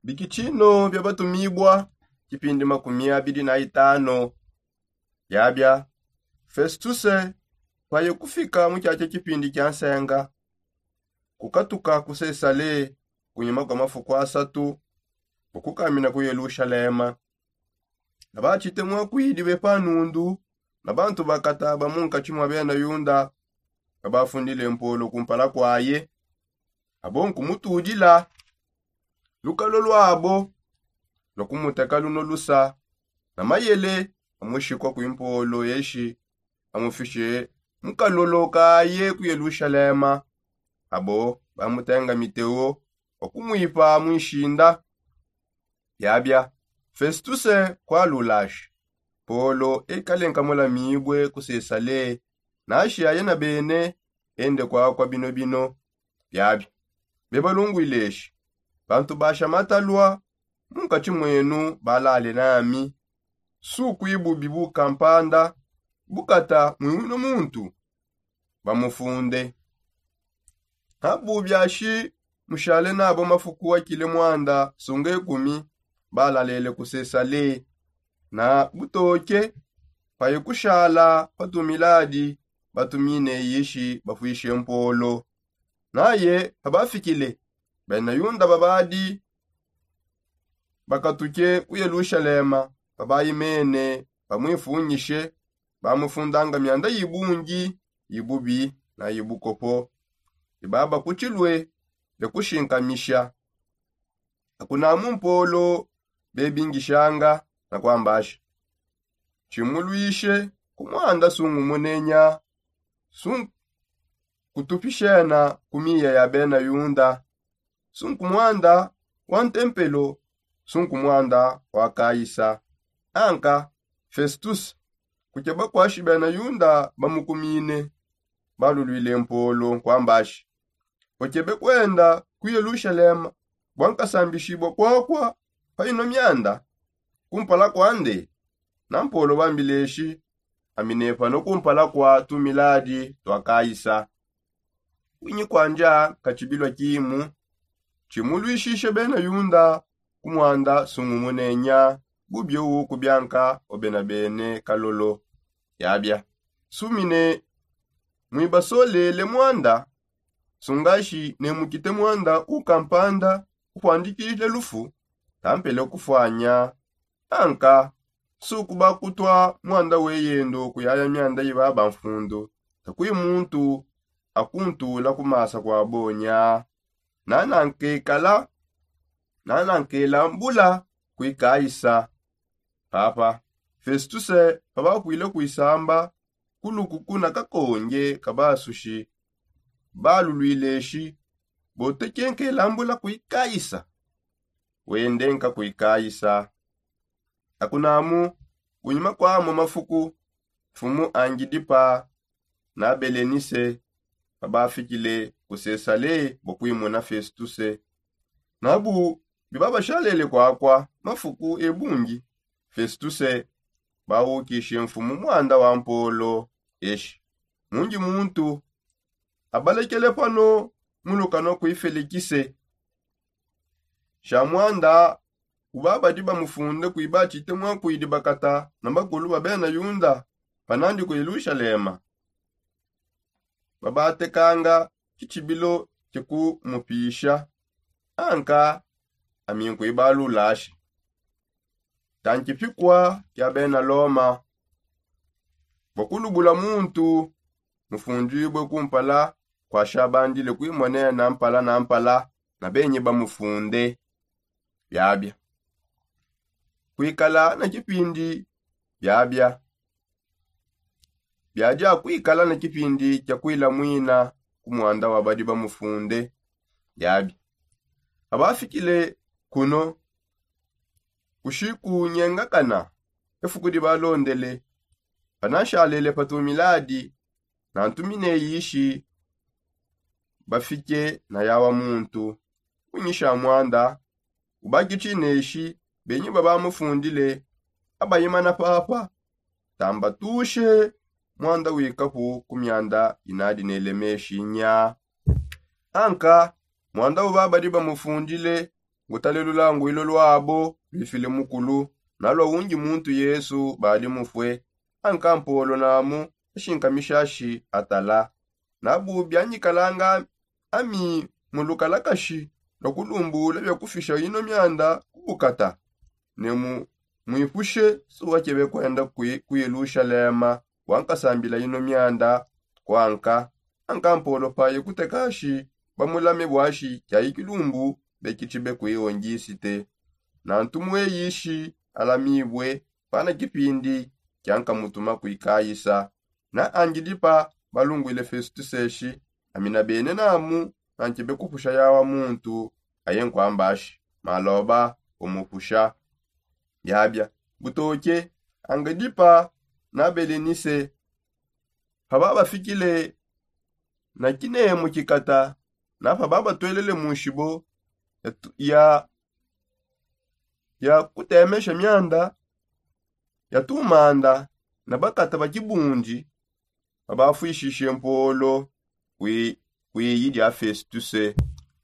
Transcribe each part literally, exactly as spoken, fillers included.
Bikitshino bia batumibua, kipindi makumi abidi na itano. Biabia, Festuse, paye kufika mu tshiatshia kipindi kia nsenga, kukatuka ku Sesale kunyima kua mafuku asatu, bua kukamina ku Yelushalema. Abatshite muakuidi be pa nundu, na bantu bakataba munkatshi mua bena Yuda, babafundile mpolo kumpala kuaye. Abo nkumutudila lukalo luabo lua kumuteka luno lusa, na mayele amushikua kui mpolo eshi, amufishe mukalolo kaye ku Yelushalema. Abo bamutenga miteo wa kumuipa mu nshinda. Biabia, Festuse kualulashi, Polo ekale nkamulamibue ku Sesale, nashi aye na bene ende kuakua bino bino. Biabia, bebalunguileshi, bantu basha matalua munkatshi muenu balale nami, sukuibubi bukampanda bukata muiwino muntu bamufunde. Abu biashi mushale nabo mafuku akile muanda sunga ekumi, balalele ku Sesale, na butoke paye kushala pa tumiladi batumine yishi bafuishe mpolo. Naye pabafikile, bena Yuda babadi bakatuke ku Yelushalema, pabayimene bamuifunyishe, bamufundanga mianda ibungi, ibubi na ibukopo. Ibaba ku tshilue bekushingamisha. Akunamu mpolo bebingishanga na kuambasha, tshimuluishe ku muanda sungumunenya, sunkutupishena ku miya ya bena Yuda, sunku muanda wa ntempelo, sunku muanda wa Kaisa. Anka Festuse, kukeba kuashi bena Yuda bamukumine, baluluile mpolo nkuambashi, ukebe kuenda ku Yelushalema bua nkasambishibua kuakua pa ino mianda kumpala kuande? Na mpolo bambileshi, aminepano kumpala kua tumiladi tua Kaisa. Kuinyi kuandia katshibilua kimu tshimuluishishe bena Yuda ku muanda sungumunenya, bubi eu kubianka obena bene kalolo. Yabia, sumine muibasolele muanda, sungashi ne mukite muanda ukampanda upuandikile lufu, tampele kufuanya. Anka sukuba kutua muanda weyendo kuyaya mianda ibaba mfundu, takui muntu akuntula kumasa kua bonya. Nanankekala nanankela mbula kuikaisa. Papa Festuse pabakuile kuisamba kulukuku na kakonge kabasushi, baluluileshi, botekenkela mbula kuikaisa. Wende nka kuikaisa. Akunamu kunyima kua mo mafuku, mfumu Angidipa na Belenise pabafikile ku Sesale bua kuimuna Festuse. Nabu bibabashalele kuakua mafuku ebungi, Festuse baukishe mfumu muanda wa mpolo eshi, mundi muntu abalekele pano mulukanua kui Felikise. Sha muanda ubabadi bamufunde kuiba atshite muakuidi bakata na bakulu ba bena Yuda panandi ku Yelushalema. Babatekanga tshitshibilo tshia kumupisha, anka ami nkuibalulasha. Tantshipikua kia bena Loma bua kulubula muntu mufundibue kumpala kua shabandile kuimonena mpala na mpala na benyi bamufunde. Biabia kuikala na kipindi biabia biadia kuikala ne kipindi kia kuilamuina ku muanda wa badi bamufunde. Yabi abafikile kuno kushikunyengakana efuku dibalondele, panashalele pa tumiladi nantumine ishi bafike na yawa muntu kunyisha muanda ubakitshi neshi benyi babamufundile abayimana papa tambatushe muanda wikapu ku mianda inadi nelemeshi nya. Anka muanda uba badi bamufundile ngutale lulanguilo lwabo lwifile mukulu, nalwa ungi muntu yesu badi mufue. Ankampolo namu ashinkamishashi atala nabu bianyikalanga ami mulukalakashi lwa kulumbula biakufisha ino mianda kubukata. Ne mu mwipushe suwakebe kwenda ku yelushalema wankasambila ino mianda kwanka. Ankampolo paye kutekashi bamulame bwashi kyai kilumbu bekichibe kuiwonjisite. Na ntumweyishi alamibwe pana kipindi kyankamutuma kuikayisa. Na angilipa balungwile festuseshi amina bene namu nankibe kupusha yawa muntu aye nkwambashi maloba umupusha. Yabya butoke angilipa na belenise paba bafikile na kinemu kikata na paba batwelele mu nshibo ya ya kutemesha mianda ya tumanda na bakata ba kibundi babafwishishe mpolo kwi kwiyi dia festuse.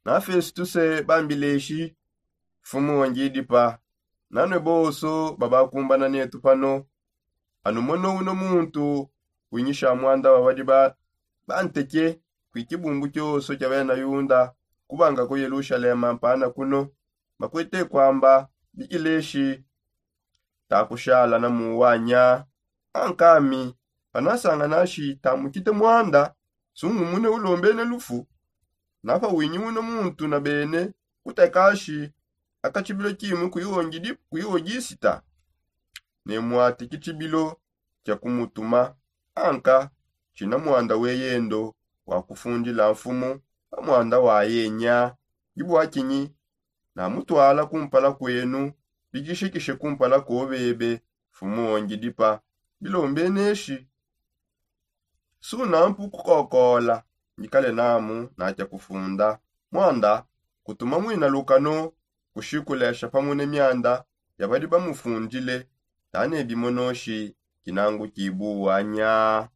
Na festuse bambileshi mfumu wa ngidipa nanwe bonso babakumbana netu pano. Anu mono uno muntu winyisha mwanda wa badi ba banteke kwi kibumbu kyoso kya bena yunda kubanga ku yelushalema mpana kuno bakwete kwamba bikileshi takushala na muwanya. Ankami panasanga nashi tamukite mwanda sungumune ulombene lufu. Napa winyi uno muntu na bene kutakashi akachibilo kimwe kuiwonjisita ne mwati kichibilo kya kumutuma. Anka china mwanda weyendo wakufundila mfumu pa mwanda wayenya. Dibwakinyi namutwala kumpala kwenu bikishikishe kumpala kobebe. Mfumu ongidipa bilombeneshi suna mpu kukokola. Ndikale namu natya kufunda mwanda kutuma mwina lukano kushikulesha pamune mianda yabadi bamufundile. Tane bimonoshi kinangu kibuwanya.